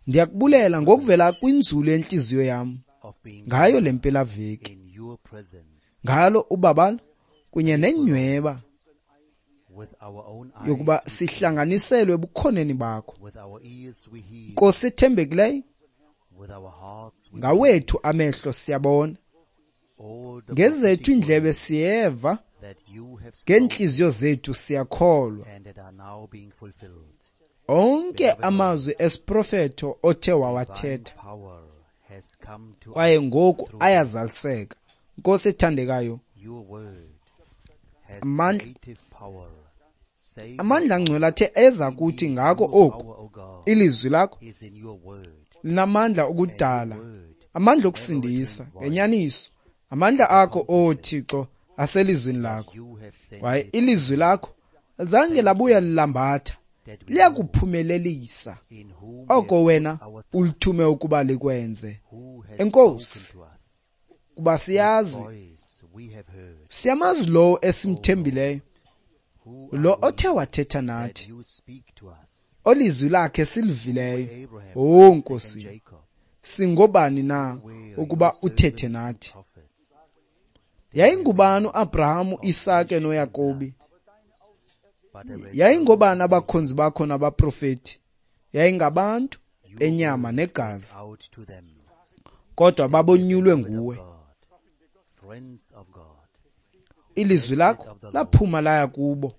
Ndiyakubulela ngokuvela kwinzulu yenhliziyo yam ngayo le mpelaveki, ngalo ubabalo kunye nenyweba yokuba sihlanganiselwe ebukhoneni bakho. Nkosi ethembekileyo, ngawethu amehlo siyabona, ngezethu iindlebe siyeva, ngeentliziyo zethu siyakholwa. Onke amazwi esiprofeto othe wawathetha kwaye ngoku ayazaliseka. Nkosi ethandekayo, amandla angcwele athe eza kuthi ngako oku, ilizwi lakho linamandla okudala, amandla okusindisa ngenyaniso. Amandla akho, O Thixo, aselizwini lakho, kwaye ilizwi lakho zange labuya lilambatha, liyakuphumelelisa oko wena ulithume ukuba likwenze. Enkosi, kuba siyazi, siyamazi lowo esimthembileyo, lo othe wathetha nathi, olizwi lakhe silivileyo. O Nkosi, singobani na ukuba uthethe nathi? Yayingubani uAbraham, uIsake noYakobi? Yayingobani abakhonzi bakho nabaprofeti? Yayingabantu benyama negazi, kodwa babonyulwe nguwe. Ilizwi lakho laphuma laya kubo.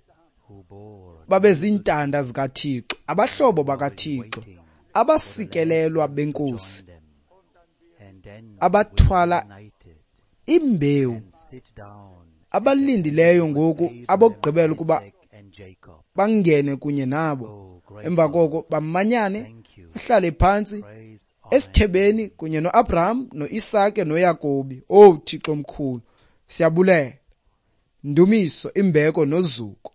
Babezintanda zikaThixo, abahlobo bakaThixo, abasikelelwa benkosi, abathwala imbewu, abalindileyo ngoku abokugqibela ukuba bangene kunye nabo. Emva koko bamanyane, bahlale phantsi esithebeni kunye noAbraham, noIsake noYakobi. O Thixo omkhulu, siyabulela. Ndumiso, imbeko nozuko.